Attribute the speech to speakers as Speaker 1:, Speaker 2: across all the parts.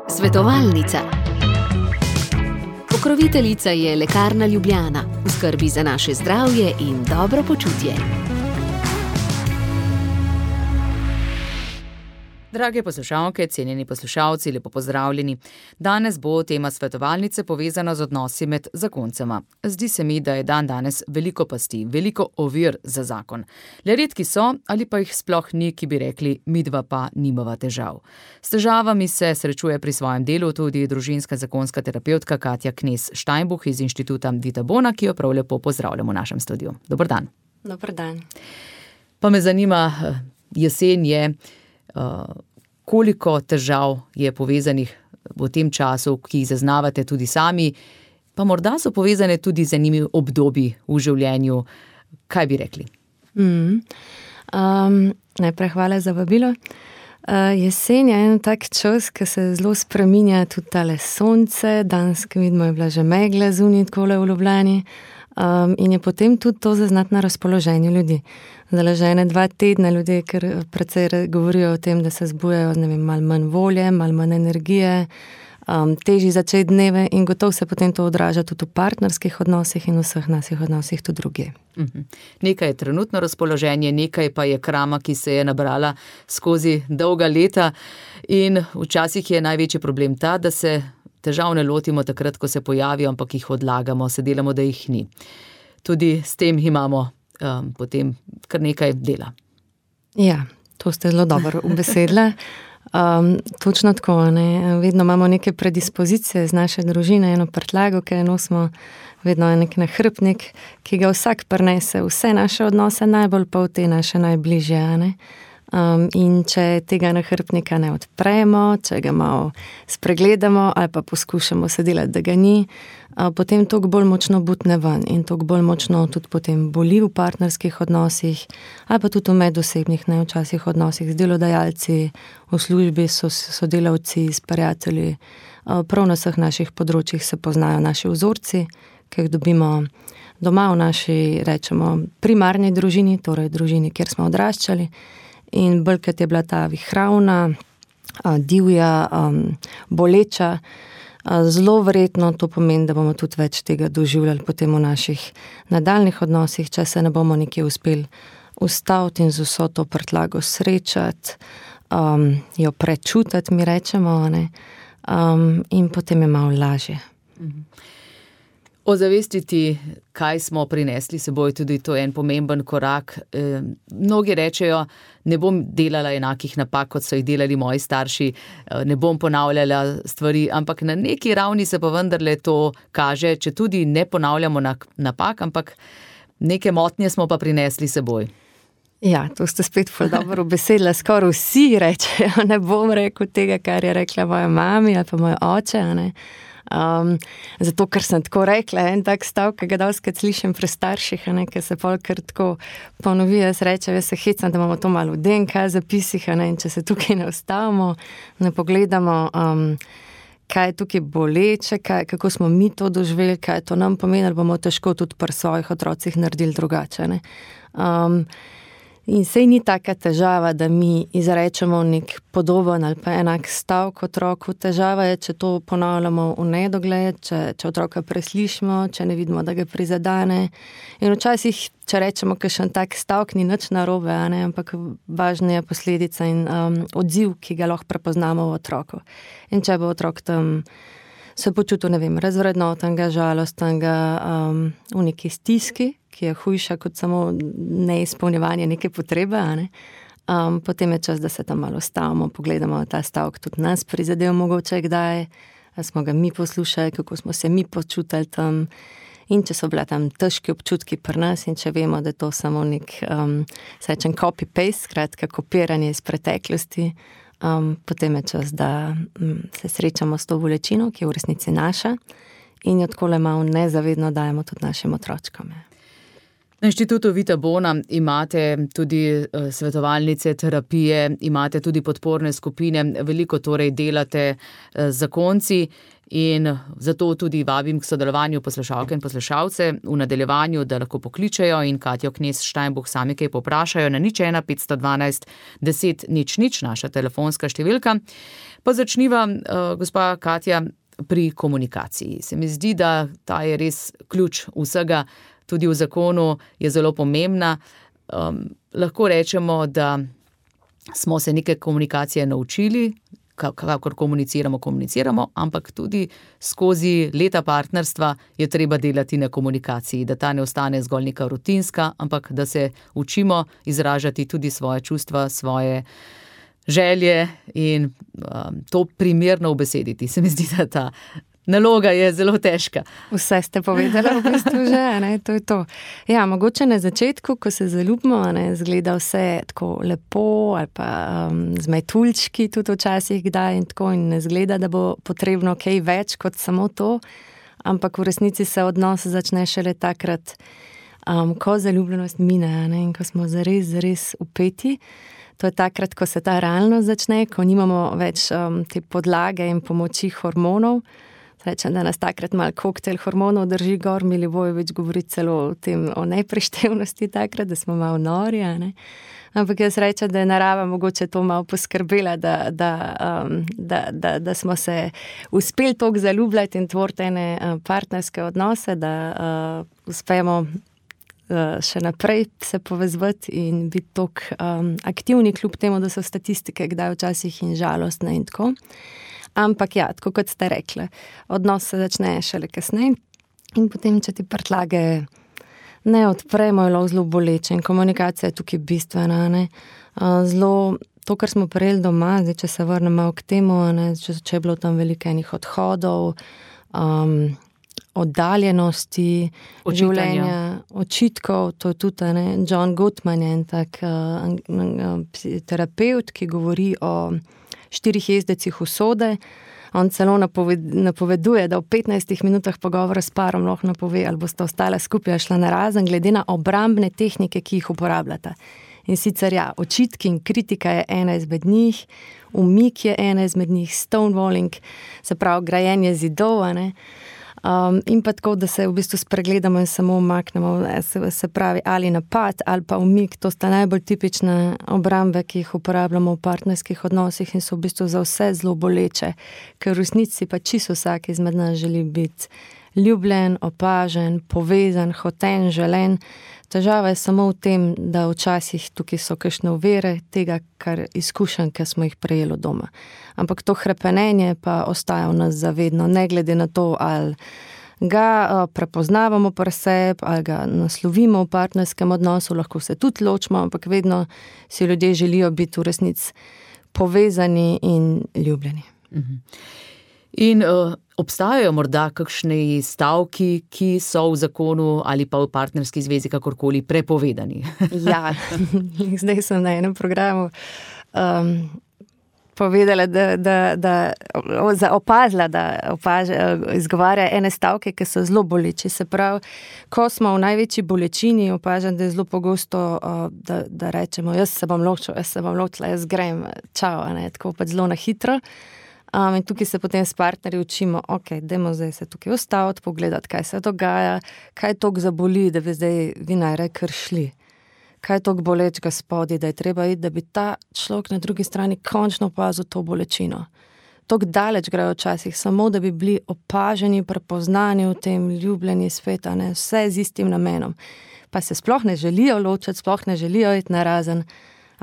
Speaker 1: Svetovalnica. Pokroviteljica je Lekarna Ljubljana, v skrbi za naše zdravje in dobro počutje.
Speaker 2: Drage poslušalke, cenjeni poslušalci, lepo pozdravljeni. Danes bo tema svetovalnice povezana z odnosi med zakoncema. Zdi se mi, da je danes veliko pasti, veliko ovir za zakon. Le redki so, ali pa jih sploh ni, ki bi rekli, midva pa nimava težav. S težavami se srečuje pri svojem delu tudi družinska zakonska terapevtka Katja Knez Steinbuch iz Inštituta Vita Bona, ki jo prav lepo pozdravljamo v našem studiu. Dober dan.
Speaker 3: Dober dan.
Speaker 2: Pa me zanima, jesen je, koliko težav je povezanih v tem času, ki jih zaznavate tudi sami, pa morda so povezane tudi z enimi obdobji v življenju. Kaj bi rekli?
Speaker 3: Najprej hvala za vabilo. Jesen je en tak čas, ki se zelo spreminja tudi tale sonce. Danes, ki vidimo, je bila že megla zunaj takole v Ljubljani. In je potem tudi to zaznati na razpoloženju ljudi. Zdaj že 2 tedne ljudje, ker precej govorijo o tem, da se zbujajo, malo manj volje, malo manj energije, težji začeti dneve in gotovo se potem to odraža tudi v partnerskih odnosih in vseh naših odnosih tudi drugje.
Speaker 2: Nekaj je trenutno razpoloženje, nekaj pa je krama, ki se je nabrala skozi dolga leta in včasih je največji problem ta, da se težav ne lotimo takrat, ko se pojavijo, ampak jih odlagamo, se delamo, da jih ni. Tudi s tem imamo potem kar nekaj dela.
Speaker 3: Ja, to ste zelo dobro ubesedila. Točno tako, ne. Vedno imamo neke predispozicije z naše družine, eno prtljago, ki jo nosimo, vedno je nek nahrbtnik, ki ga vsak prinese, vse naše odnose, najbolj pa v te naše najbližje, ne. In če tega nahrbtnika ne odpremo, če ga malo spregledamo ali pa poskušamo se delati, da ga ni, potem toliko bolj močno butne ven in toliko bolj močno tudi potem boli v partnerskih odnosih ali pa tudi v medosebnih, ne, včasih odnosih z delodajalci, v službi sodelavci, s prijatelji. Prav na vseh naših področjih se poznajo naši vzorci, ki jih dobimo doma v naši, rečemo, primarni družini, torej družini, kjer smo odraščali. In bolj, kot je bila ta vihravna, divja, boleča, zelo verjetno to pomeni, da bomo tudi več tega doživljali potem v naših nadaljnih odnosih, če se ne bomo nekje uspeli ustaviti in z vso to prtljago srečati, jo prečutiti, mi rečemo, ne, in potem je malo lažje.
Speaker 2: Ozavestiti, kaj smo prinesli seboj, tudi to je en pomemben korak. Mnogi rečejo, ne bom delala enakih napak, kot so jih delali moji starši, ne bom ponavljala stvari, ampak na neki ravni se pa vendarle to kaže, če tudi ne ponavljamo napak, ampak neke motnje smo pa prinesli seboj.
Speaker 3: Ja, to ste spet ful dobro ubesedila, skoraj vsi rečejo, ne bom rekel tega, kar je rekla moja mami ali pa moj oče, ne. Zato, ker sem tako rekla, en tak stavek, ki ga dostikrat slišim pri starših, ne, ki se pol kar tako ponovi, jaz rečem, jaz se hecam, da imamo to malo v DNK zapisih, ne, in če se tukaj ne ustavimo, ne pogledamo, kaj je tukaj boleče, kako smo mi to doživeli, kaj to nam pomeni, ali bomo težko tudi pri svojih otrocih naredili drugače, ne. In sej ni taka težava, da mi izrečemo nek podoben ali pa enak stavek otroku. Težava je, če to ponavljamo v nedogled, če otroka preslišimo, če ne vidimo, da ga prizadene. In včasih, če rečemo kakšen tak stavek, ni nič narobe, ne, ampak važna je posledica in odziv, ki ga lahko prepoznamo v otroku. In če bo otrok tam se počutil, ne vem, razvrednotenega, žalostenega, v neki stiski, ki je hujša kot samo neizpolnjevanje neke potrebe, ne? Potem je čas, da se tam malo ustavimo, pogledamo ta stavek, tudi nas prizadel mogoče kdaj, ali smo ga mi poslušali, kako smo se mi počutili tam, in če so bila tam težki občutki pri nas in če vemo, da je to samo nek, srečen copy-paste, skratka kopiranje iz preteklosti, potem je čas, da se srečamo s to bolečino, ki je v resnici naša, in jo takole malo nezavedno dajemo tudi našim otročkom.
Speaker 2: Na Inštitutu Vita Bona imate tudi svetovalnice, terapije, imate tudi podporne skupine, veliko torej delate z zakonci in zato tudi vabim k sodelovanju poslušalke in poslušalce v nadaljevanju, da lahko pokličejo in Katjo Knez Steinbuch sami kaj poprašajo na 01 512 10 00, naša telefonska številka. Pa začniva, gospa Katja, pri komunikaciji. Se mi zdi, da ta je res ključ vsega, tudi v zakonu je zelo pomembna. Lahko rečemo, da smo se neke komunikacije naučili, kakor komuniciramo, ampak tudi skozi leta partnerstva je treba delati na komunikaciji, da ta ne ostane zgolj neka rutinska, ampak da se učimo izražati tudi svoje čustva, svoje želje in to primerno ubesediti. Se mi zdi, da ta naloga je zelo težka.
Speaker 3: Vse ste povedali v bistvu že, ne, to je to. Ja, mogoče na začetku, ko se zaljubimo, ne, zgleda vse tako lepo ali pa z metuljčki tudi včasih kdaj in tako in ne zgleda, da bo potrebno kaj več kot samo to, ampak v resnici se odnos začne šele takrat, ko zaljubljenost mine, ne, in ko smo zares upeti. To je takrat, ko se ta realnost začne, ko nimamo več te podlage in pomoči hormonov. Rečem, da nas takrat malo koktejl hormonov drži gor, Milivojević govori celo o tem, o neprištevnosti takrat, da smo malo nori, ne. Ampak jaz rečem, da je narava mogoče to malo poskrbela, da smo se uspeli toliko zaljubljati in tvoriti ene partnerske odnose, da uspemo še naprej se povezvati in biti toliko aktivni, kljub temu, da so statistike kdaj včasih in žalostne in tako. Ampak ja, tako kot ste rekli, odnos se začne šele kasneje in potem, če ti prtljage ne odpremo, je zelo boleče in komunikacija je tukaj bistvena, ne. Zelo, to, kar smo prejeli doma, zdaj, če se vrnemo k temu, ne, če je bilo tam veliko enih odhodov, oddaljenosti, življenja, očitkov, to je tudi, ne, John Gottman je en tak terapeut, ki govori o 4 jezdecih usode. On celo napoveduje, da v 15 minutah pogovora s parom lahko napove, ali boste ostale skupaj, šla narazen, glede na obrambne tehnike, ki jih uporabljata. In sicer ja, očitki in kritika je ena izmed njih, umik je ena izmed njih, stonewalling, se pravi grajenje zidov, ne. In pa tako, da se v bistvu spregledamo in samo umaknemo, se pravi ali napad ali pa umik, to sta najbolj tipične obrambe, ki jih uporabljamo v partnerskih odnosih in so v bistvu za vse zelo boleče, ker v resnici pa čisto vsak izmed nas želi biti ljubljen, opažen, povezan, hoten, želen. Težava je samo v tem, da včasih tukaj so kakšne ovire tega, kar izkušenj, ki smo jih prejeli doma. Ampak to hrepenenje pa ostaja v nas zavedno, ne glede na to, ali ga prepoznavamo pri sebi, ali ga naslovimo v partnerskem odnosu, lahko se tudi ločimo, ampak vedno si ljudje želijo biti v resnici povezani in ljubljeni.
Speaker 2: In obstajajo morda kakšni stavki, ki so v zakonu ali pa v partnerski zvezi kakorkoli prepovedani?
Speaker 3: Ja, zdaj sem na enem programu povedala, opazila, da izgovarja ene stavke, ki so zelo boleči. Se pravi, ko smo v največji bolečini, opažam, da je zelo pogosto, da rečemo, jaz se bom ločila, jaz grem, čau, ne, tako pa zelo na hitro. In tukaj se potem s partnerji učimo, ok, dajmo zdaj se tukaj ustaviti, pogledati, kaj se dogaja, kaj toliko zaboli, da bi zdaj vi najraje kar šli. Kaj toliko bolečega spodaj, da je treba iti, da bi ta človek na drugi strani končno opazil to bolečino. Toliko daleč grejo včasih, samo da bi bili opaženi, prepoznani v tem ljubljeni sveta, ne, vse z istim namenom. Pa se sploh ne želijo ločiti, sploh ne želijo iti narazen,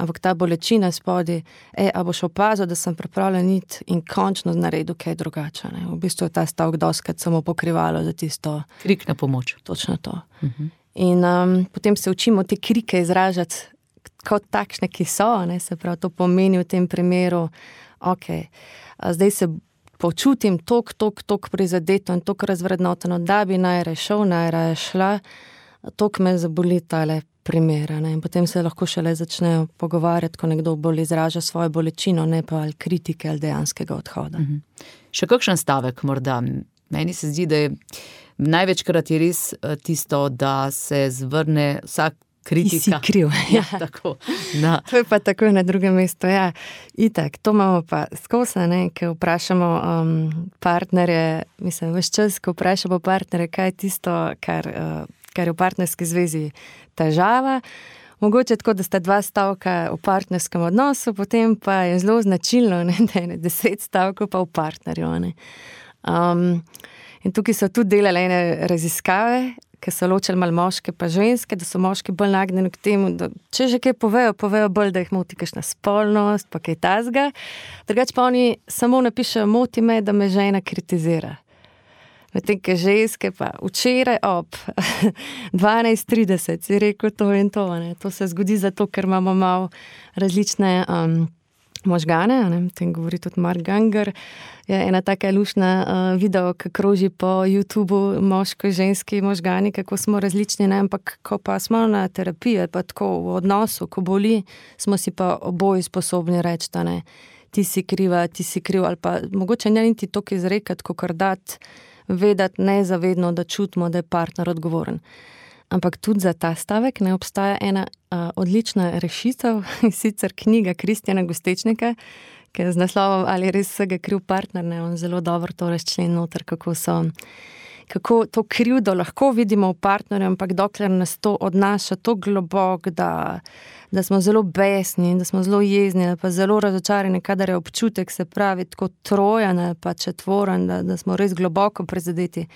Speaker 3: ampak ta bolečina spodaj, a boš opazil, da sem pripravljen iti in končno naredil kaj drugače. Ne? V bistvu je ta stavek dostikrat samo pokrivalo za tisto...
Speaker 2: Krik na pomoč.
Speaker 3: Točno to. In potem se učimo te krike izražati kot takšne, ki so, ne? Se pravi, to pomeni v tem primeru, ok, zdaj se počutim toliko prizadeto in toliko razvrednoteno, da bi najraje šel, najraje šla, toliko me zaboli tale primera, ne? In potem se lahko šele začnejo pogovarjati, ko nekdo bolj izraža svojo bolečino, ne pa ali kritike ali dejanskega odhoda.
Speaker 2: Še kakšen stavek morda Meni se zdi, da je največkrat je res tisto, da se zvrne vsak kritika.
Speaker 3: Si kriv.
Speaker 2: Ja, tako. Na.
Speaker 3: To je pa tako na drugem mestu. Ja. Itak, to imamo pa skozi, ko vprašamo partnerje, mislim, veš čas, ko vprašamo partnerje, kaj je tisto, kar je v partnerski zvezi težava. Mogoče tako, da sta 2 stavka v partnerskem odnosu, potem pa je zelo značilno, da je 10 stavkov pa v partnerju. In tukaj so tudi delali ene raziskave, ki so ločili malo moške pa ženske, da so moški bolj nagnjeni k temu, da če že kaj povejo bolj, da jih moti kakšna spolnost, pa kaj tazga. Drugače pa oni samo napišejo, moti me, da me žena kritizira. Medtem, ki ženske pa včeraj ob 12:30 si rekel to in to. To se zgodi zato, ker imamo malo različne možgane, o tem govori tudi Mark Ganger. Je ena taka lušna video, ki kroži po YouTubeu, moško-ženski možgani, kako smo različni, ampak ko pa smo na terapiji, pa tako v odnosu, ko boli, smo si pa oboji sposobni reči, da ne, ti si kriva, ti si kriv, ali pa mogoče ne niti toliko izrekati, kakor dati, vedeti nezavedno, da čutimo, da je partner odgovoren. Ampak tudi za ta stavek ne obstaja ena odlična rešitev, sicer knjiga Kristjana Gostečnika, ki je z naslovom Ali res vsega kriv partner, on zelo dobro to razčlen noter, kako to krivdo lahko vidimo v partnerju, ampak dokler nas to odnaša to globoko, da smo zelo besni, da smo zelo jezni, pa zelo razočarani, kadar je občutek, se pravi, tako trojan pa četvoren, da smo res globoko prizadeti.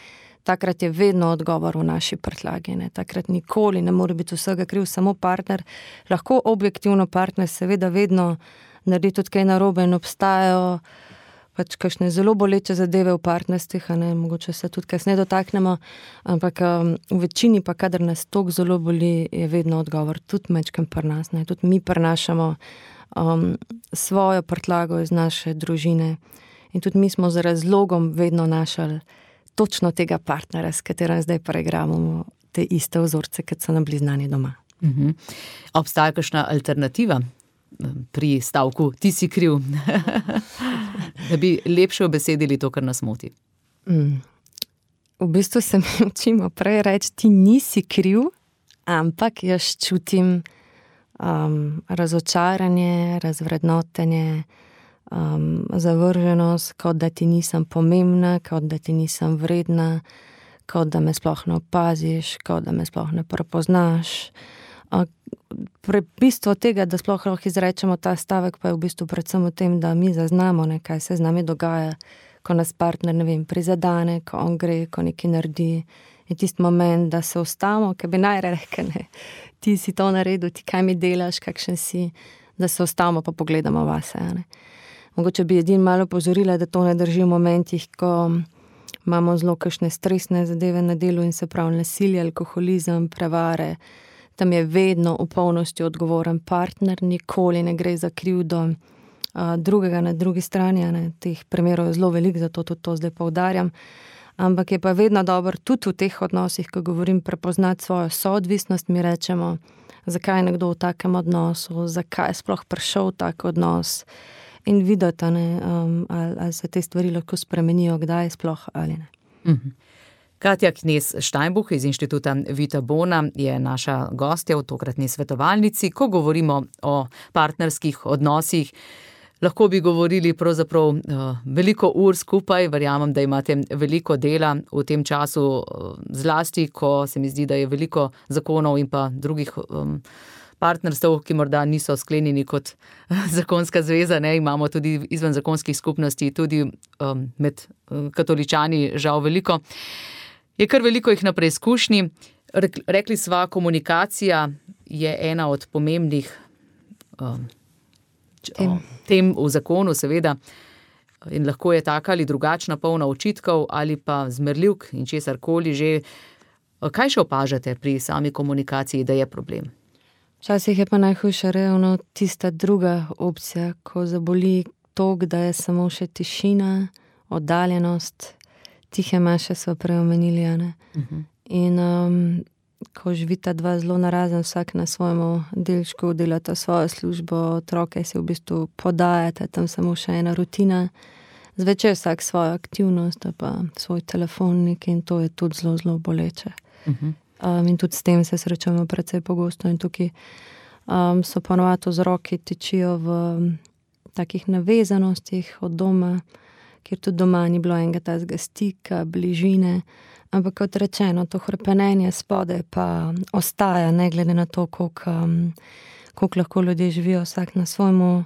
Speaker 3: Takrat je vedno odgovor v naši prtljagi. Takrat nikoli ne more biti vsega kriv samo partner. Lahko objektivno partner seveda vedno naredi tudi kaj narobe in obstajajo pač kakšne zelo boleče zadeve v partnerstvih, mogoče se tudi kasneje dotaknemo, ampak v večini pa, kadar nas toliko zelo boli, je vedno odgovor tudi mečkem pri nas. Tudi mi prenašamo svojo prtljago iz naše družine in tudi mi smo z razlogom vedno našali točno tega partnera, s katerim zdaj preigravamo te iste vzorce, kot so nam bili znani doma.
Speaker 2: Obstaja kakšna alternativa pri stavku ti si kriv, da bi lepše obesedili to, kar nas moti?
Speaker 3: V bistvu se mi učimo prej reči, ti nisi kriv, ampak jaz čutim razočaranje, razvrednotenje, zavrženost, kot da ti nisem pomembna, kot da ti nisem vredna, kot da me sploh ne opaziš, kot da me sploh ne prepoznaš. Bistvo tega, da sploh lahko izrečemo ta stavek, pa je v bistvu predvsem v tem, da mi zaznamo, kaj se z nami dogaja, ko nas partner, prizadane, ko on gre, ko nekaj naredi. Je tisti moment, da se ustavimo, ki bi najraje rekel, ti si to naredil, ti kaj mi delaš, kakšen si, da se ustavimo pa pogledamo vase. Mogoče bi edin malo pozorila, da to ne drži v momentih, ko imamo zelo kakšne stresne zadeve na delu in se pravi nasilje, alkoholizem, prevare. Tam je vedno v polnosti odgovoren partner, nikoli ne gre za krivdo drugega na drugi strani. Teh primerov je zelo veliko, zato tudi to zdaj poudarjam. Ampak je pa vedno dobro tudi v teh odnosih, ko govorim, prepoznati svojo soodvisnost, mi rečemo, zakaj je nekdo v takem odnosu, zakaj je sploh prišel v tak odnos in videti, ali se te stvari lahko spremenijo, kdaj sploh ali ne.
Speaker 2: Katja Knez-Steinbuch iz Inštituta Vita Bona je naša gostja v tokratni svetovalnici. Ko govorimo o partnerskih odnosih, lahko bi govorili pravzaprav veliko ur skupaj, verjamem, da imate veliko dela v tem času, zlasti, ko se mi zdi, da je veliko zakonov in pa drugih partnerstv, ki morda niso sklenjeni kot zakonska zveza, imamo tudi izven zakonskih skupnosti, tudi med katoličani žal veliko. Je kar veliko jih na preizkušnji. Rekli sva, komunikacija je ena od pomembnih tem v zakonu, seveda, in lahko je taka ali drugačna, polna očitkov ali pa zmerljivk in česarkoli že. Kaj še opažate pri sami komunikaciji, da je problem?
Speaker 3: Včasih je pa najhujša ravno tista druga opcija, ko zaboli toliko, da je samo še tišina, oddaljenost, tihe maše so prej omenili, In ko živita dva zelo narazen, vsak na svojemu delčku delata svojo službo, otroke si v bistvu podajate, tam samo še ena rutina, zvečer vsak svojo aktivnost, pa svoj telefonnik in to je tudi zelo, zelo boleče. In tudi s tem se srečujemo precej pogosto in tukaj so ponovadi vzroki tičijo v takih navezanostih od doma, kjer tudi doma ni bilo enega tazga stika, bližine, ampak kot rečeno, to hrepenenje spodaj pa ostaja, ne glede na to, koliko lahko ljudje živijo vsak na svojemu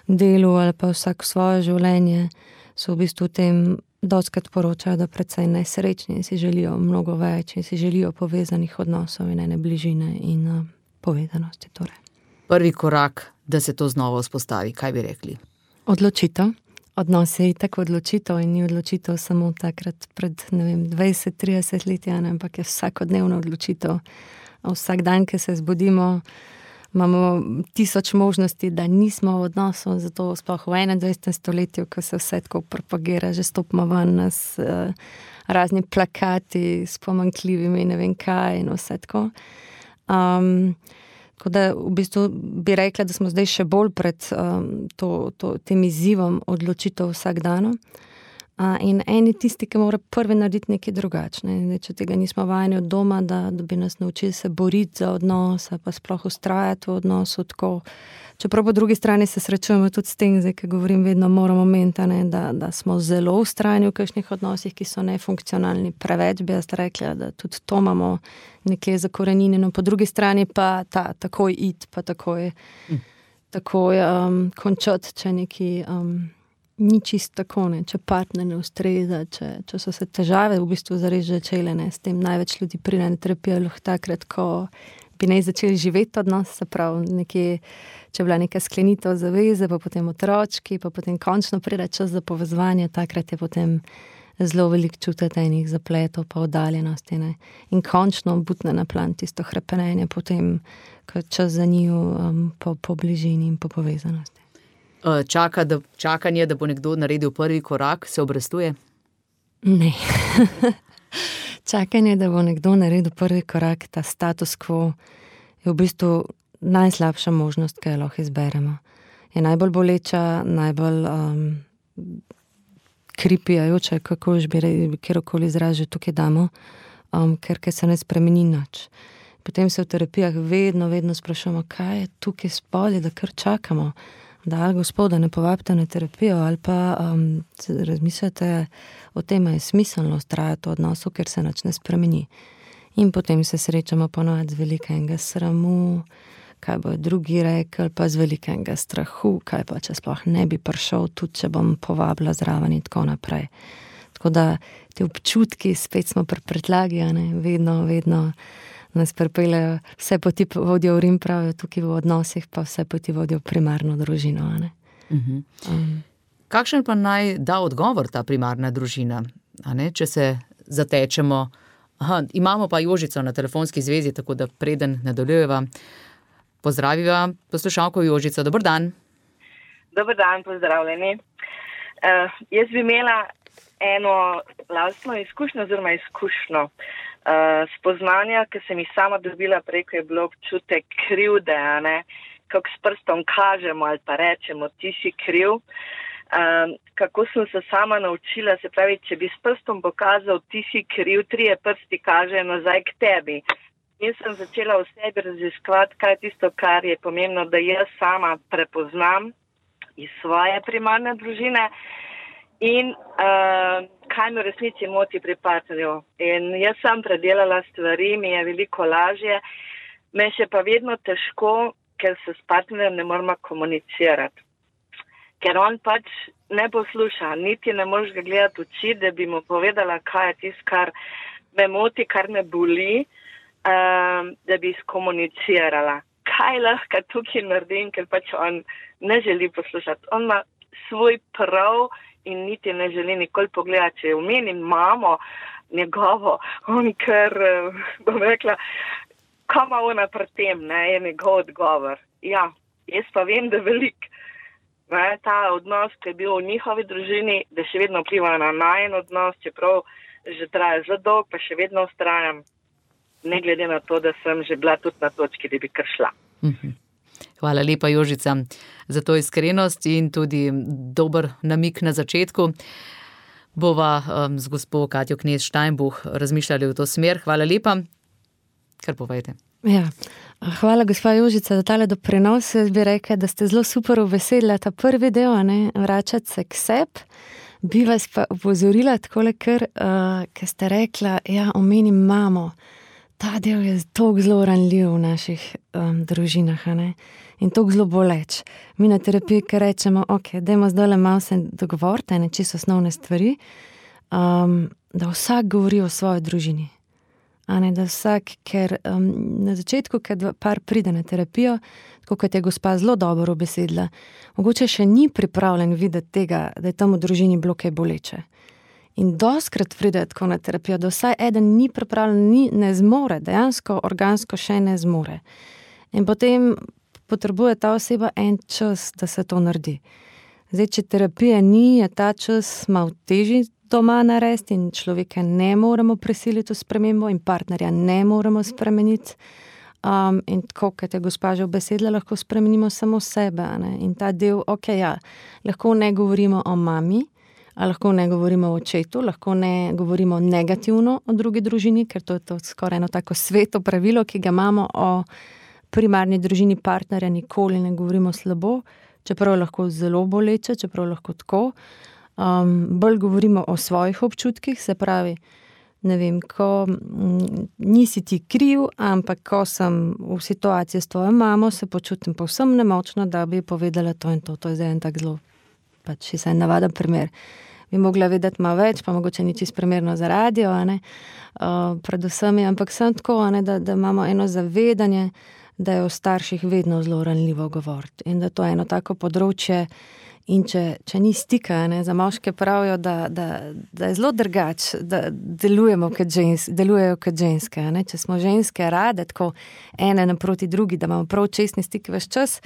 Speaker 3: delu ali pa vsak svoje življenje, so v bistvu v tem dostikrat poročajo, da precej nesrečni in si želijo mnogo več in si želijo povezanih odnosov in ene bližine in povezanosti. Torej.
Speaker 2: Prvi korak, da se to znova vzpostavi, kaj bi rekli?
Speaker 3: Odločitev. Odnos je itak odločitev in ni odločitev samo takrat pred, 20-30 leti, ampak je vsakodnevna odločitev. Vsak dan, ki se zbudimo, imamo 1000 možnosti, da nismo v odnosu, zato sploh v 21. stoletju, ko se vse tako propagira, že stopimo ven nas razni plakati s pomanjkljivimi ne vem kaj in vse tako. Tako da v bistvu bi rekla, da smo zdaj še bolj pred tem izzivom odločitev vsak dan. In eni tisti, ki mora prvi narediti nekaj drugačne. Če tega nismo vajeni od doma, da bi nas naučili se boriti za odnos, pa sploh ustrajati v odnosu tako. Čeprav po drugi strani se srečujemo tudi s tem, zdaj, ki govorim, vedno moramo meniti, da smo zelo ustrajni v kakšnih odnosih, ki so nefunkcionalni. Preveč bi jaz rekla, da tudi to imamo nekje zakorenjeno. Po drugi strani pa takoj iti, pa takoj končati, če neki ni čisto tako, ne, če partner ne ustreza, če so se težave v bistvu zares začele, ne, s tem največ ljudi pride na terapijo takrat, ko bi naj začeli živeti odnos, se pravi nekje, če je bila neka sklenitev zaveze, pa potem otročki, pa potem končno pride čas za povezovanje, takrat je potem zelo veliko čutiti enih zapletov, pa oddaljenosti, ne, in končno butne na plan tisto hrepenenje potem, ko je čas za njiju po bližini in po povezanosti.
Speaker 2: Čakanje, da bo nekdo naredil prvi korak, se obrestuje?
Speaker 3: Ne. Čakanje, da bo nekdo naredil prvi korak, ta status quo, je v bistvu najslabša možnost, ki jo lahko izberemo. Je najbolj boleča, najbolj kripijajoča, kako že bi kjerokoli izraz že tukaj damo, ker se ne spremeni nič. Potem se v terapijah vedno sprašujemo, kaj je tukaj spodaj, da kar čakamo. Da ali gospoda ne povabite na terapijo ali pa razmislite o tem, je smiselno ustrajati v odnosu, ker se nič ne spremeni. In potem se srečamo ponovadi z velikega sramu, kaj bo drugi rekel, pa z velikega strahu, kaj pa če sploh ne bi prišel, tudi če bom povabila zraven in tako naprej. Tako da te občutki, spet smo pri predlagi, vedno nas pripeljejo, vse poti vodijo v Rim, pravijo tukaj v odnosih, pa vse poti vodijo v primarno družino.
Speaker 2: Kakšen pa naj da odgovor ta primarna družina? Če se zatečemo, imamo pa Jožico na telefonski zvezi, tako da preden nadaljujeva, pozdraviva poslušalko Jožico. Dober dan.
Speaker 4: Dober dan, pozdravljeni. Jaz bi imela eno lastno izkušnjo, spoznanja, ki sem jih sama dobila preko, je bilo občutek krivde, kako s prstom kažemo ali pa rečemo, ti si kriv. Kako sem se sama naučila, se pravi, če bi s prstom pokazal, ti si kriv, 3 prsti kažejo nazaj k tebi. Jaz sem začela v sebi raziskovati, kaj je tisto, kar je pomembno, da jaz sama prepoznam iz svoje primarne družine in kaj me v resnici moti pri partnerju. In jaz sem predelala stvari, mi je veliko lažje, me še pa vedno težko, ker se s partnerjem ne moramo komunicirati. Ker on pač ne posluša, niti ne moreš ga gledati v oči, da bi mu povedala, kaj je tisto, kar me moti, kar me boli, da bi skomunicirala. Kaj lahko tukaj naredim, ker pač on ne želi poslušati. On ima svoj prav in niti ne želi nikoli pogledati, če omenim mamo njegovo, on ker, bom rekla, kam ima ona pri tem, je njegov odgovor. Ja, jaz pa vem, da veliko. Ta odnos, ki je bil v njihovi družini, da še vedno vpliva na najen odnos, čeprav že traja zelo dolgo, pa še vedno ustrajam, ne glede na to, da sem že bila tudi na točki, da bi kar šla.
Speaker 2: Hvala lepa, Jožica, za to iskrenost in tudi dober namik na začetku. Bova z gospo Katjo Knez Steinbuch razmišljali v to smer. Hvala lepa. Kar povejte.
Speaker 3: Ja. Hvala, gospa Jožica, za tale doprinos. Jaz bi rekla, da ste zelo super uveselili ta prvi del, vračati se k sebi. Bi vas pa upozorila takole, ker ste rekla, ja, omenim mamo. Ta del je toliko zelo ranljiv v naših družinah, in toliko zelo boleč. Mi na terapiji, ker rečemo, ok, dajmo zdaj malo se dogovoriti, čisto osnovne stvari, da vsak govori o svoji družini. Da vsak, ker na začetku, kad par pride na terapijo, tako kot je gospa zelo dobro obesedla, mogoče še ni pripravljen videti tega, da je tam v družini bilo kaj boleče. In doskrat pride tako na terapijo, da vsaj eden ni pripravljen, ne zmore, dejansko organsko še ne zmore. In potem potrebuje ta oseba en čas, da se to naredi. Zdaj, če terapija ni, je ta čas malo težji doma narediti in človeka ne moremo prisiliti v spremembo in partnerja ne moremo spremeniti. In tako, kot je gospa že obesedla, lahko spremenimo samo sebe. In ta del, ok, ja, lahko ne govorimo o mami, lahko ne govorimo o očetu, lahko ne govorimo negativno o drugi družini, ker to je to skoraj eno tako sveto pravilo, ki ga imamo o primarni družini partnerja, nikoli ne govorimo slabo, čeprav je lahko zelo boleče, čeprav lahko tako. Bolj govorimo o svojih občutkih, se pravi, ne vem, ko nisi ti kriv, ampak ko sem v situaciji s tvojo mamo, se počutim povsem nemočno, da bi povedala to in to. To je zdaj en tak zelo, pač še en navaden primer. Bi mogla vedeti malo več, pa mogoče ni čisto primerno za radio, predvsem je, ampak sem tako, da imamo eno zavedanje, da je o starših vedno zelo ranljivo govoriti in da to je eno tako področje. In če ni stika, za moške pravijo, da je zelo drugače, da delujejo kot ženske. Če smo ženske rade, tako ene naproti drugi, da imamo prav čestni stik ves čas,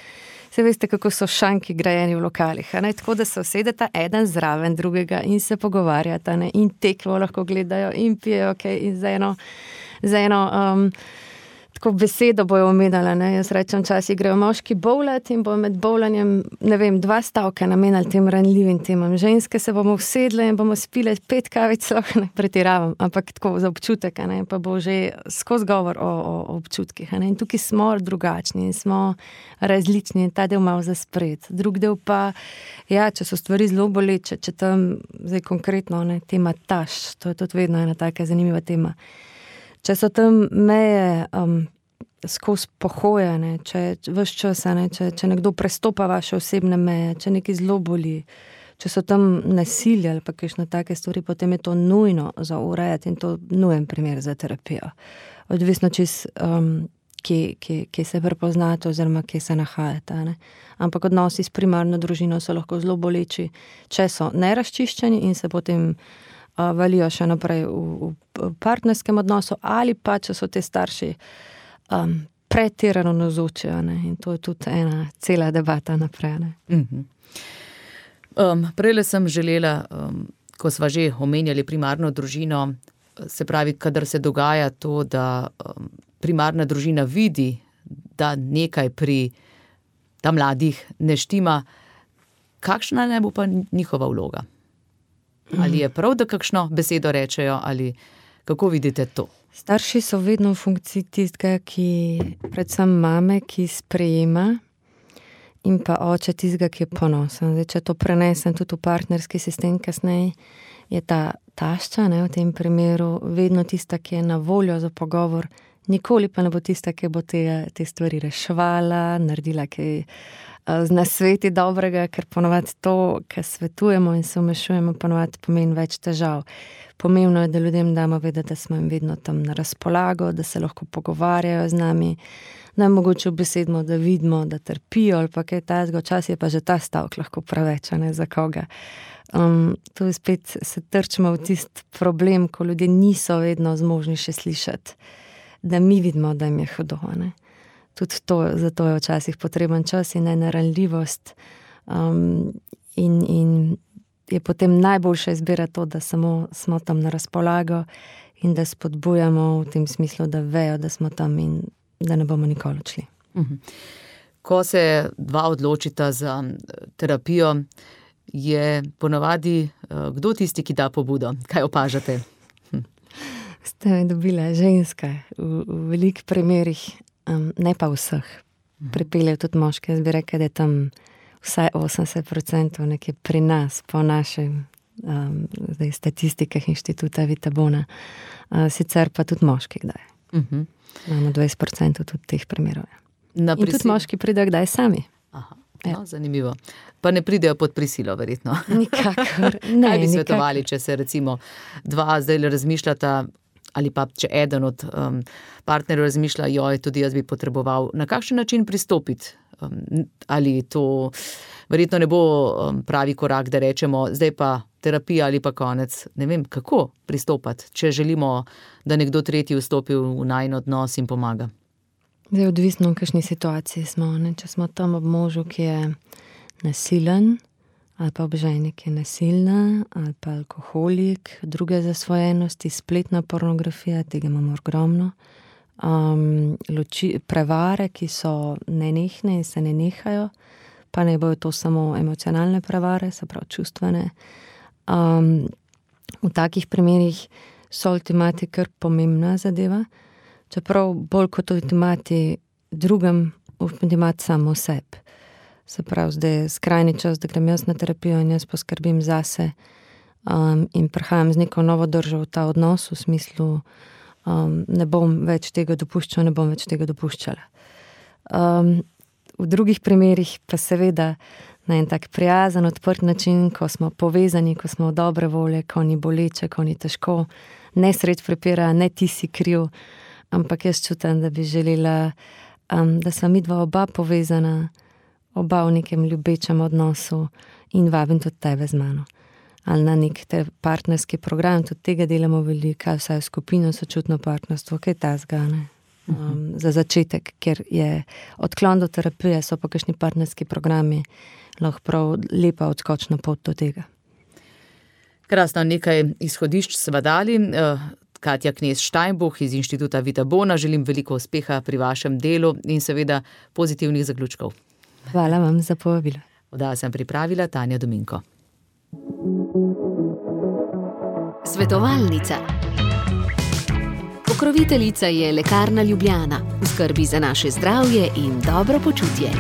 Speaker 3: se veste, kako so šanki grajeni v lokalih. Tako da se usedeta eden zraven drugega in se pogovarjata in tekmo lahko gledajo in pijejo, in za eno tako besedo bojo omenjala, jaz rečem, časi grejo moški bowlat in bojo med bowlanjem, ne vem, 2 stavka namenjali tem ranljivim temam. Ženske se bomo usedle in bomo spile 5 kavic, lahko ne pretiravam, ampak tako za občutek, pa bo že skozi govor o občutkih. In tukaj smo drugačni in smo različni in ta del malo zaspred. Drug del pa, ja, če so stvari zelo boleče, če tam, zdaj konkretno, tema tašč, to je tudi vedno ena taka zanimiva tema. Če so tam meje skozi pohojene, če ves čas, če nekdo prestopa vaše osebne meje, če nekaj zelo boli, če so tam nasilje ali pa kakšne take stvari, potem je to nujno za urejati in to nujen primer za terapijo. Odvisno čist, kje se prepoznate oziroma kje se nahajate. Ampak odnosi s primarno družino so lahko zelo boleči, če so nerazčiščeni in se potem valijo še naprej v partnerskem odnosu ali pa, če so te starši pretirano navzoči, in to je tudi ena cela debata naprej.
Speaker 2: Prejle sem želela, ko sva že omenjali primarno družino, se pravi, kadar se dogaja to, da primarna družina vidi, da nekaj pri ta mladih ne štima, kakšna ne bo pa njihova vloga? Ali je prav, da kakšno besedo rečejo, ali kako vidite to?
Speaker 3: Starši so vedno v funkciji tistega, predvsem mame, ki sprejema, in pa oče tistega, ki je ponosen. Zdaj, če to prenesem tudi v partnerski sistem kasneje, je ta tašča, v tem primeru, vedno tista, ki je na voljo za pogovor, nikoli pa ne bo tista, ki bo te stvari reševala, naredila kaj z nasveti dobrega, ker ponovadi to, kar svetujemo in se vmešujemo, ponovadi pomeni več težav. Pomembno je, da ljudem damo vedeti, da smo jim vedno tam na razpolago, da se lahko pogovarjajo z nami, da mogoče obesedimo, da vidimo, da trpijo ali pa kaj takega, včasih je pa že ta stavek lahko preveč, za koga. Tu spet se trčimo v tisti problem, ko ljudje niso vedno zmožni še slišati, da mi vidimo, da jim je hudo, Tudi to, zato je včasih potreben čas in ena ranljivost. In je potem najboljša izbira to, da samo smo tam na razpolago in da spodbujamo v tem smislu, da vejo, da smo tam in da ne bomo nikoli odšli.
Speaker 2: Ko se dva odločita za terapijo, je ponavadi kdo tisti, ki da pobudo? Kaj opažate?
Speaker 3: Ste me dobila ženska v velikih primerih, ne pa vseh. Pripeljejo tudi moške, jaz bi rekla, da je tam vsaj 80% nekje pri nas, po našem statistikah Inštituta Vitabona. Sicer pa tudi moški kdaj. Imamo 20% tudi teh primerov. In tudi moški pridejo kdaj sami.
Speaker 2: Aha, no, zanimivo. Pa ne pridejo pod prisilo, verjetno.
Speaker 3: Nikakor. Ne,
Speaker 2: kaj bi svetovali, če se recimo dva zdaj razmišljata, ali pa če eden od partnerjev razmišlja, joj, tudi jaz bi potreboval, na kakšen način pristopiti? Ali to verjetno ne bo pravi korak, da rečemo, zdaj pa terapija ali pa konec. Ne vem, kako pristopati, če želimo, da nekdo tretji vstopi v najin odnos in pomaga.
Speaker 3: Zdaj, odvisno, v kakšni situaciji smo. Ne? Če smo tam ob možu, ki je nasilen, ali pa ob ženi, ki je nasilna, ali pa alkoholik, druge zasvojenosti, spletna pornografija, tega imamo ogromno. Prevare, ki so nenehne in se ne nehajo, pa ne bojo to samo emocionalne prevare, se pravi čustvene. V takih primerih so ultimati kar pomembna zadeva, čeprav bolj kot ultimati drugem, ultimati samo sebi. Se pravi, zdaj je skrajni čas, da grem jaz na terapijo in jaz poskrbim zase in prihajam z neko novo držo v ta odnos, v smislu ne bom več tega dopuščal, ne bom več tega dopuščala. V drugih primerih pa seveda na en tak prijazen, odprt način, ko smo povezani, ko smo v dobre volje, ko ni boleče, ko ni težko, ne sredi prepira, ne ti si kriv, ampak jaz čutim, da bi želela, da sva midva oba povezana, oba v nekem ljubečem odnosu in vabim tudi tebe z mano. Ali na nek partnerski program, tudi tega delamo veliko, vsaj v skupino sočutno partnerstvo, kaj ta zgane. Za začetek, ker je odklon do terapije, so pa kakšni partnerski programi, lahko prav lepa odskočna pot do tega.
Speaker 2: Krasno, nekaj izhodišč sva dali. Katja Knez-Steinbuch iz Inštituta Vitabona, želim veliko uspeha pri vašem delu in seveda pozitivnih zaključkov.
Speaker 3: Hvala vam za povabilo.
Speaker 2: Oddajo sem pripravila Tanja Dominko.
Speaker 1: Svetovalnica. Pokroviteljica je Lekarna Ljubljana. V skrbi za naše zdravje in dobro počutje.